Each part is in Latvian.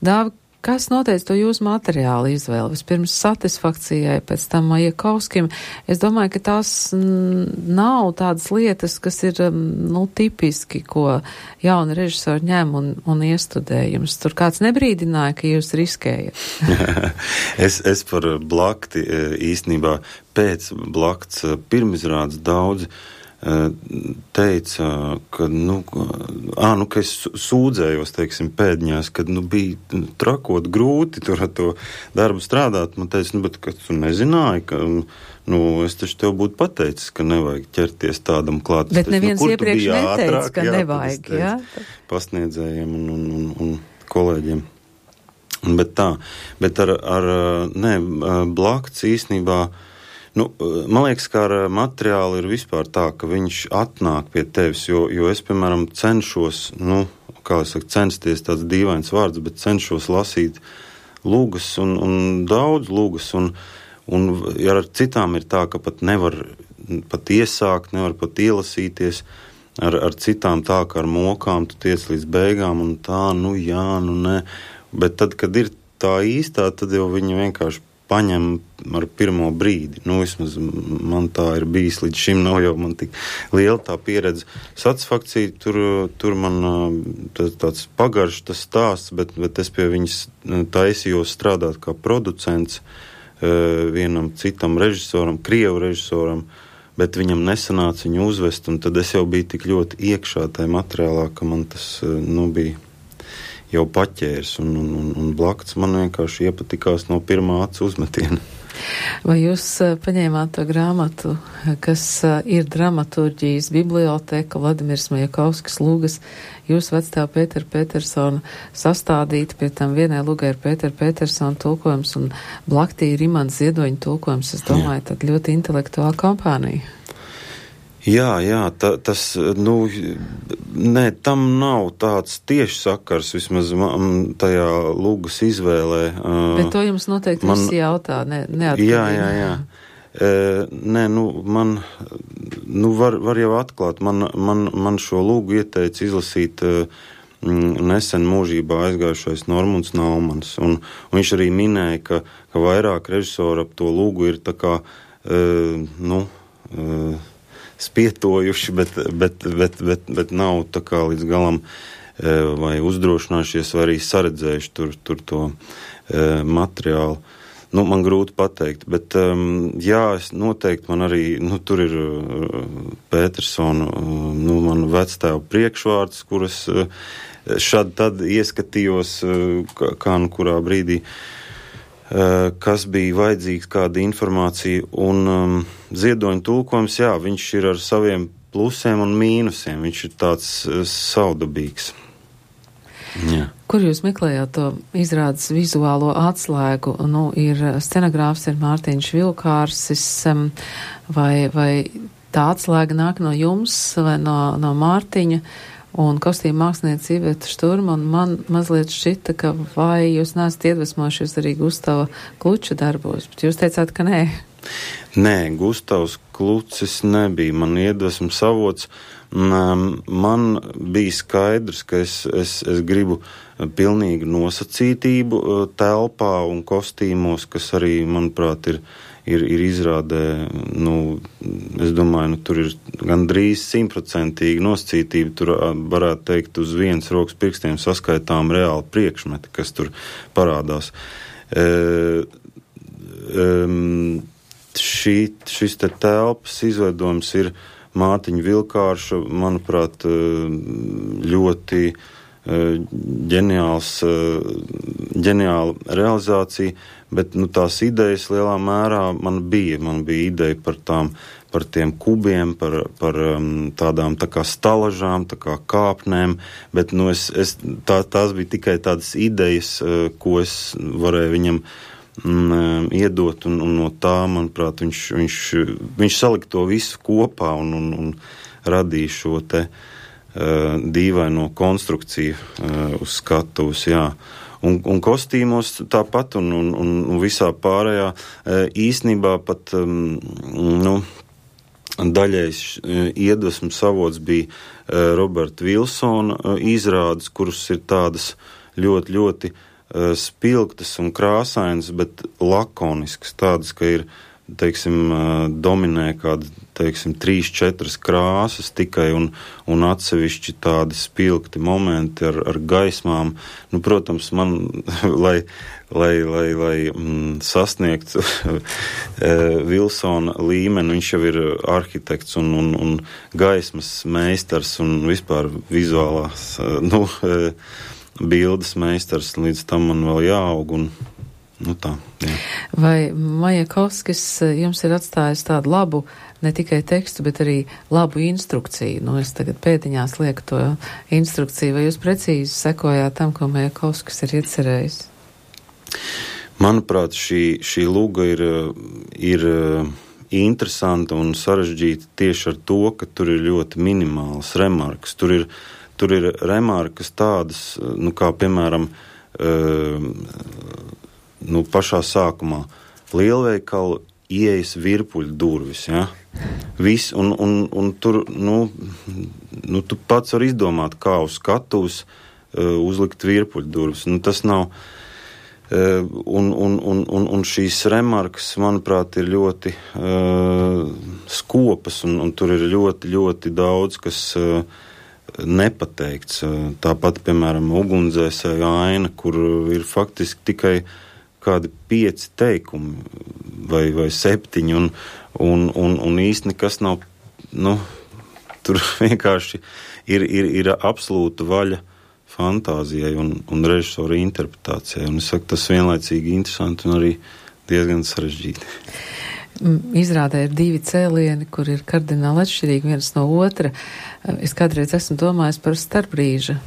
Dāvi, kas noteica to jūsu materiālu izvēli? Vispirms satisfakcijai, pēc tam Majakovskim. Es domāju, ka tās nav tādas lietas, kas ir, tipiski, ko jauni režisori ņem un iestudē. Jums tur kāds nebrīdināja, ka jūs riskējat? es par Blakti īstenībā pēc Blakts pirmizrādes daudzi teica, ka, ka es sūdzējos, teiksim, pēdiņās, kad, bija trakot grūti tur ar to darbu strādāt. Man teica, bet ka tu nezināji, ka, es taču tev būtu pateicis, ka nevajag ķerties tādam klāt. Bet neviens iepriekš neteica, ka nevajag, jā? Pasniedzējiem un kolēģiem. Bet Blakts īstenībā, man liekas, ka ar materiālu ir vispār tā, ka viņš atnāk pie tevis, jo es, piemēram, cenšos, censties tāds dīvains vārds, bet cenšos lasīt lūgas un daudz lūgas, un ja ar citām ir tā, ka pat nevar pat iesākt, nevar pat ielasīties, ar citām tā, ka ar mokām tu tiec līdz beigām, un tā, nē, bet tad, kad ir tā īstā, tad jau viņi vienkārši paņem ar pirmo brīdi. Vismaz man tā ir bijis līdz šim, nav jau man tik liela tā pieredze. Satisfakcija, tur man tāds pagaršs tas stāsts, bet es pie viņas taisījos strādāt kā producents vienam citam režisoram, krievu režisoram, bet viņam nesanāca viņu uzvest, un tad es jau biju tik ļoti iekšā tajā materiālā, ka man tas, bija jau paķērs, un Blakts man vienkārši iepatikās no pirmā acu uzmetiena. Vai jūs paņēmāt to grāmatu, kas ir dramaturģijas biblioteka, Vladimirs Majakovskis lūgas, jūs vectēva Pētera Petersona sastādīta, pie tam vienai lūgai ir Pētera Petersona tulkojums, un Blaktī ir Imants Ziedoņa tulkojums, es domāju, tad ļoti intelektuāla kompānija. Jā, tas, tam nav tāds tieši sakars, vismaz tajā lūgas izvēlē. Bet to jums noteikti visi jautā, neatkarīgi. Jā. Man, var jau atklāt, man šo lūgu ieteica izlasīt nesen mūžībā aizgājušais Normunds Naumans, un viņš arī minēja, ka vairāk režisori ap to lūgu ir tā kā, spietojuši, bet nav tā kā līdz galam vai uzdrošinājušies, vai arī saredzējuši tur to materiālu. Man grūti pateikt, bet es noteikti man arī, tur ir Petersona, man vectēva priekšvārds, kuras šad tad ieskatījos, kā kurā brīdī, kas bija vajadzīgs, kāda informācija, un Ziedoņa tulkojums, viņš ir ar saviem plusiem un mīnusiem, viņš ir tāds saudabīgs. Jā. Kur jūs meklējāt to izrādes vizuālo atslēgu? Ir scenogrāfs, ir Mārtiņš Vilkārsis, vai tā atslēga nāk no jums vai no Mārtiņa? Un kostīma mākslinieca Iveta Šturma, un man mazliet šķita, ka vai jūs neesat iedvesmojušies arī Gustava Kluča darbos, bet jūs teicāt, ka nē. Nē, Gustavs Klucis nebija man iedvesmas avots. Man bija skaidrs, ka es gribu pilnīgu nosacītību telpā un kostīmos, kas arī, manuprāt, ir izrādē, es domāju, tur ir gandrīz 100% nosacītība, tur varētu teikt uz vienas rokas pirkstiem saskaitām reāli priekšmeti, kas tur parādās. Šis te telpas izveidojums ir Mārtiņa Vilkārša, manuprāt, ļoti ģeniāla realizācija, bet tās idejas lielā mērā man bija ideja par tiem kubiem, par tādām tā kā stalažām, tā kā kāpnēm, bet tās bija tikai tādas idejas, ko es varēju viņam iedot, un no tā, manuprāt, viņš salika to visu kopā un radīja šo te dīvaino konstrukciju uz skatuves, jā. Un kostīmos tāpat, un visā pārējā īsnībā pat, daļais iedvesmas avots bija Roberta Vilsona izrādes, kuras ir tādas ļoti, ļoti spilgtas un krāsainas, bet lakoniskas, tādas, ka ir, teiksim, dominē kāda, teiksim, 3-4 krāsas tikai un atsevišķi tādi spilgti momenti ar gaismām. Nu, protams, man, lai sasniegtu Vilsona līmeni, viņš jau ir arhitekts un gaismas meistars un vispār vizuālās, bildes meistars, līdz tam man vēl jāaug un tā, jā. Vai Majakovskis jums ir atstājis tādu labu, ne tikai tekstu, bet arī labu instrukciju? Nu, es tagad pēdiņās lieku to instrukciju, vai jūs precīzi sekojāt tam, ko Majakovskis ir iecerējis? Manuprāt, šī luga ir interesanta un sarežģīta tieši ar to, ka tur ir ļoti minimālas remarkas. Tur ir remarkas tādas, kā piemēram, pašā sākumā lielveikalu ieejas virpuļu durvis, ja? Viss, un tur, tu pats var izdomāt, kā uz skatuves uzlikt virpuļu durvis. Tas nav, un šīs remarkas, manuprāt, ir ļoti skopas, un tur ir ļoti, ļoti daudz, kas nepateikts. Tāpat, piemēram, ugunsdzēsēju aina, kur ir faktiski tikai kādi 5 teikumi vai 7, un īsti nekas nav, tur vienkārši ir absolūta vaļa fantāzijai un režisora interpretācijai. Un es saku, tas vienlaicīgi interesanti un arī diezgan sarežģīti. Izrādē ir 2 cēlieni, kur ir kardināli atšķirīgi viens no otra. Es kādreiz esmu domājis par starpbrīža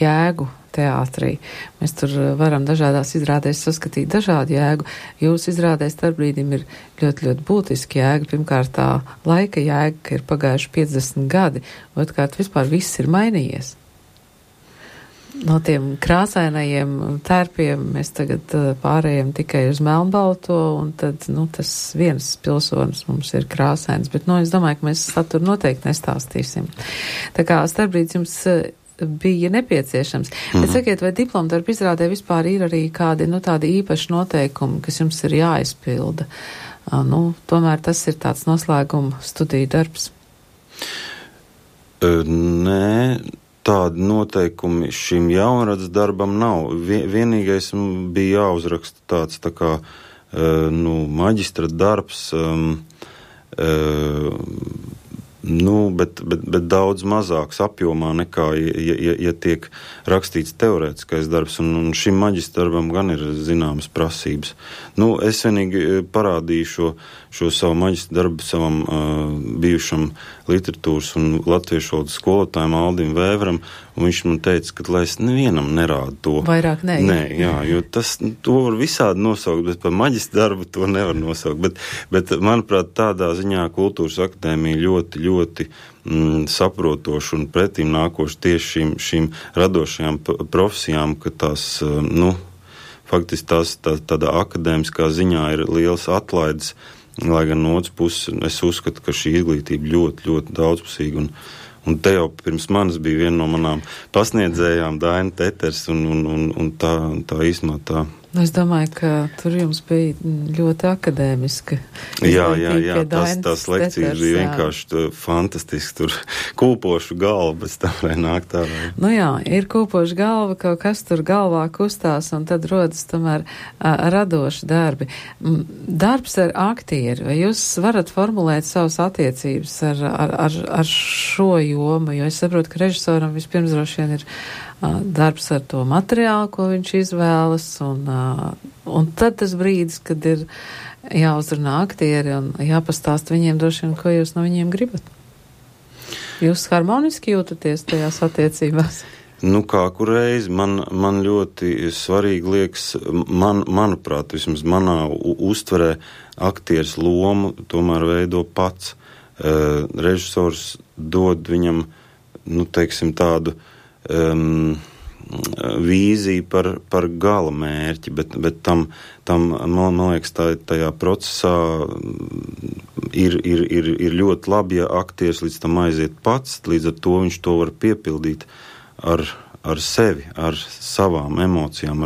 jēgu teātrī. Mēs tur varam dažādās izrādēs saskatīt dažādu jēgu. Jūsu izrādēs starpbrīdim ir ļoti, ļoti būtiski jēga. Pirmkārt, tā laika jēga, ka ir pagājuši 50 gadi. Otrkārt, vispār viss ir mainījies. No tiem krāsainajiem tērpiem mēs tagad pārējām tikai uz melnbalto, un tad, tas viens pilsonis mums ir krāsains. Bet, es domāju, ka mēs saturu noteikti nestāstīsim. Tā kā starpbrīds jums bija nepieciešams. Bet sakiet, vai diplomdarba izrādē vispār ir arī kādi, tādi īpaši noteikumi, kas jums ir jāizpilda? Tomēr tas ir tāds noslēguma studiju darbs. Nē, tādi noteikumi šim jaunradas darbam nav. Vienīgais bija jāuzraksta tāds tā kā, maģistra darbs, bet daudz mazāks apjomā nekā, ja tiek rakstīts teorētiskais darbs, un šim maģistra darbam gan ir zināmas prasības. Es vienīgi parādīju šo savu maģistra darbu savam bijušam literatūras un latviešu valodas skolotājiem Aldim Vēveram, un viņš man teica, ka lai es nevienam nerādu to. Vairāk nē. Nē, jā, jo to var visādi nosaukt, bet par maģistra darbu to nevar nosaukt. Bet manuprāt, tādā ziņā Kultūras akadēmija ļoti, ļoti saprotoši un pretīm nākoši tieši šīm radošajām profesijām, ka tās, faktiski tās tādā akadēmiskā ziņā ir liels atlaides, lai gan no otras puses es uzskatu, ka šī izglītība ļoti, ļoti daudzpusīga, un te jau pirms manis bija viena no manām pasniedzējām, Daina Teters, un tā īstenībā tā. Es domāju, ka tur jums bija ļoti akadēmiska. Jā, tās lekcijas bija vienkārši fantastiski, tur kūpošu galva, bet tā vai nāk tā vai. Jā, ir kūpošu galva, kaut kas tur galvā kustās, un tad rodas tomēr radoši darbi. Darbs ar aktieri, vai jūs varat formulēt savas attiecības ar šo jomu, jo es saprotu, ka režisoram vispirms droši vien ir darbs ar to materiālu, ko viņš izvēlas, un tad tas brīdis, kad ir jāuzrunā aktieri un jāpastāst viņiem droši vien, ko jūs no viņiem gribat. Jūs harmoniski jūtaties tajās attiecībās? Kā kureiz man ļoti svarīgi liekas, manuprāt, vismaz manā uztverē aktieris lomu tomēr veido pats. Režisors dod viņam, tādu vīziju par gala mērķi, bet tam man liekas, tajā procesā ir ļoti labi, ja aktieris līdz tam aiziet pats, līdz ar to viņš to var piepildīt ar sevi, ar savām emocijām,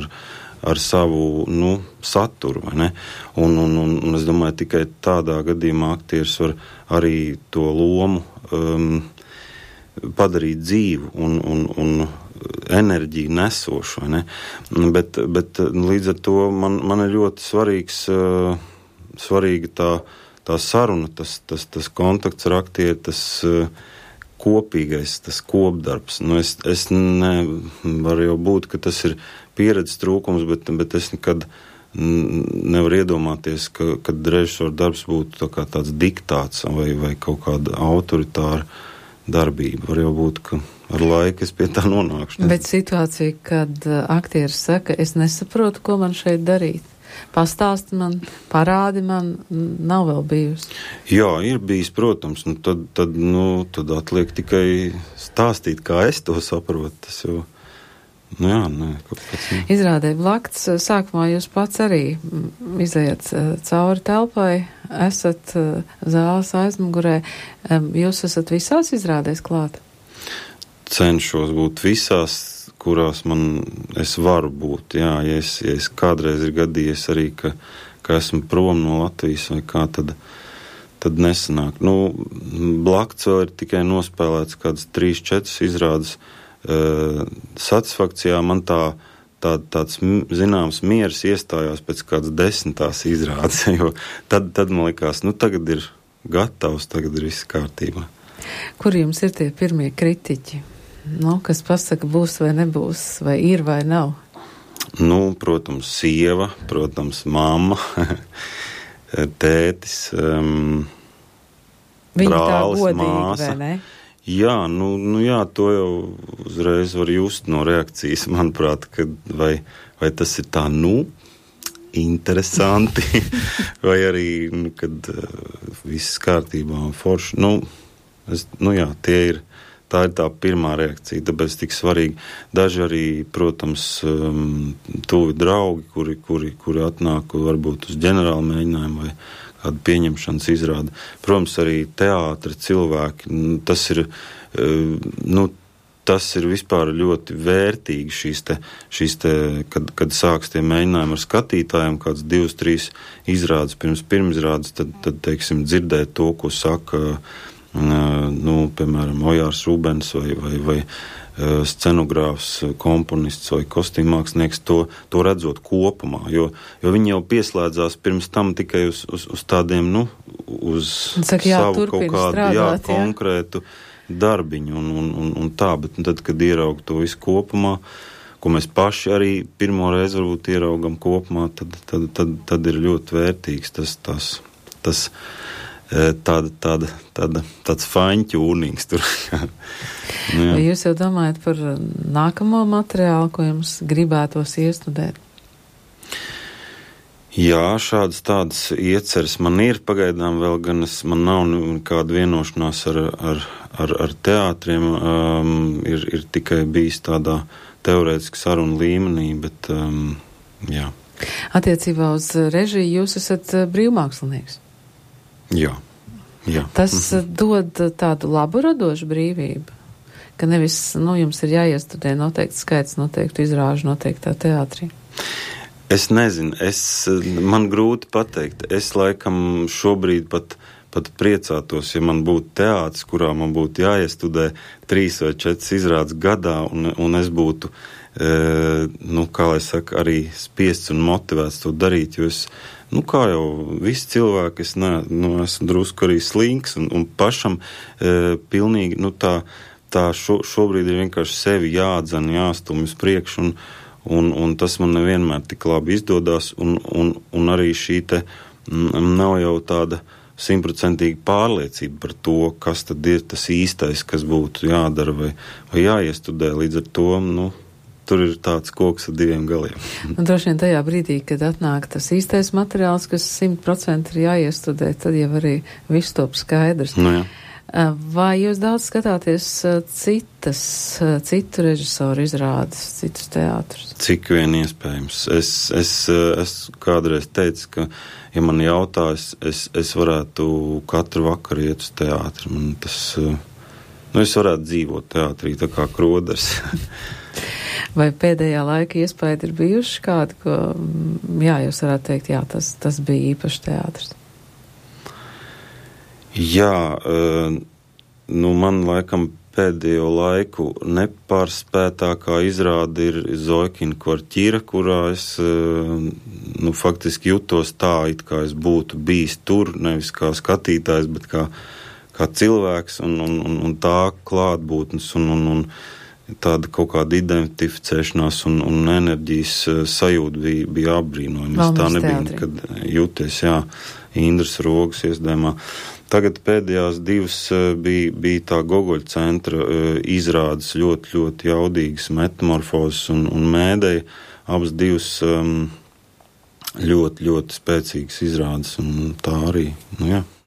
ar savu, saturu, vai ne? Un es domāju, tikai tādā gadījumā aktieris var arī to lomu padarīt dzīvu un enerģiju nesošu, vai ne? Bet līdz ar to man ir ļoti svarīga tā saruna, tas kontakts ar aktieri, tas kopīgais, tas kopdarbs. Es nevaru jau būt, ka tas ir pieredzes trūkums, bet es nekad nevaru iedomāties, ka režisora darbs būtu tāds diktāts vai kaut kāda autoritāra darbība. Var jau būt, ka ar laiku es pie tā nonākšu. Bet situācija, kad aktieris saka, es nesaprotu, ko man šeit darīt. Pastāsti man, parādi man, nav vēl bijusi. Jā, ir bijis, protams. Tad atliek tikai stāstīt, kā es to saprotu. Tas jau, kāpēc. Izrādē Blakts, sākumā jūs pats arī izejat cauri telpai, esat zāles aizmugurē. Jūs esat visās izrādēs klāt? Cenšos būt visās, kurās es varu būt. Jā, ja es kādreiz ir gadījies arī, ka esmu prom no Latvijas vai kā, tad nesanāk. Blakts vēl ir tikai nospēlēts kādas 3-4 izrādes. Satisfakcijā man tāds zināms miers iestājās pēc kādas 10. izrādes, jo tad man likās, tagad ir gatavs, tagad ir viss kārtībā. Kur jums ir tie pirmie kritiķi? Kas pasaka, būs vai nebūs, vai ir vai nav? Protams, sieva, protams, mamma, tētis, brālis, māsa. Vai ne? Jā, jā, to jau uzreiz var just no reakcijas, manuprāt, vai tas ir tā, interesanti, vai arī, kad viss kārtībā un forši. Jā, tā ir tā pirmā reakcija, tāpēc tik svarīgi. Daži arī, protams, tuvi draugi, kuri atnāk varbūt uz ģenerālu mēģinājumu vai kādu pieņemšanas izrādi. Protams, arī teātra cilvēki, tas ir vispār ļoti vērtīgi šīs te kad sāks tie mēģinājumi ar skatītājiem, kāds 2-3 izrādes pirmizrādes, tad teiksim, dzirdēt to, ko saka piemēram, Ojārs Rubens vai scenogrāfs, komponists vai kostīmmākslinieks, to redzot kopumā, jo viņi jau pieslēdzās pirms tam tikai uz tādiem, uz savu kaut kādu konkrētu darbiņu un tā, bet tad, kad ieraug to visu kopumā, ko mēs paši arī pirmo reizi varbūt ieraugam kopumā, tad ir ļoti vērtīgs tas tāds fine-tunings tur. Vai jūs jau domājat par nākamo materiālu, ko jums gribētos iestudēt? Jā, tādas ieceres man ir pagaidām vēl, gan man nav nekāda vienošanās ar teātriem, ir tikai bijis tādā teorētiski sarunu līmenī, bet jā. Attiecībā uz režiju jūs esat brīvmākslinieks? Jā. Tas dod tādu labu radošu brīvību, ka nevis, jums ir jāiestudē noteikti skaits, noteikti izrāžu, noteiktā teātrī. Es nezinu, man grūti pateikt. Es laikam šobrīd pat priecātos, ja man būtu teātris, kurā man būtu jāiestudē 3 vai 4 izrādes gadā, un es būtu, kā lai saka, arī spiests un motivēts to darīt, jo kā jau visi cilvēki, es esmu drusku arī slinks un pašam pilnīgi, šobrīd ir vienkārši sevi jādzen, jāstumj uz priekšu, un tas man nevienmēr tik labi izdodās, un arī šī te nav jau tāda 100% pārliecība par to, kas tad ir tas īstais, kas būtu jādara vai jāiestudē, līdz ar to, tur ir tāds koks ar 2 galiem. Droši vien tajā brīdī, kad atnāk tas īstais materiāls, kas 100% ir jāiestudē, tad jau arī viss top skaidrs. Jā. Vai jūs daudz skatāties citu režisoru izrādes, citus teātrus? Cik vien iespējams. Es kādreiz teicu, ka, ja man jautā, es varētu katru vakaru iet uz teātri. Man tas, es varētu dzīvot teātrī, tā kā Kroders. Vai pēdējā laika iespēja ir bijuši kādi, ko, jā, jūs varētu teikt, jā, tas bija īpašs teātris? Jā, man laikam pēdējo laiku nepārspētākā izrāde ir Zoikina kvartīra, kurā es faktiski jutos tā, it kā es būtu bijis tur, nevis kā skatītājs, bet kā cilvēks un tā klātbūtnes un tāda kaut kāda identificēšanās un enerģijas sajūta bija apbrīnojama. Es tā nebija nekad jūties, jā, Indras Rogas iesdēmā. Tagad pēdējās divas bija tā Gogoļa centra izrādes ļoti, ļoti jaudīgas, Metamorfozes un Mēdēja. Abas divas ļoti, ļoti spēcīgas izrādes, un tā arī, jā.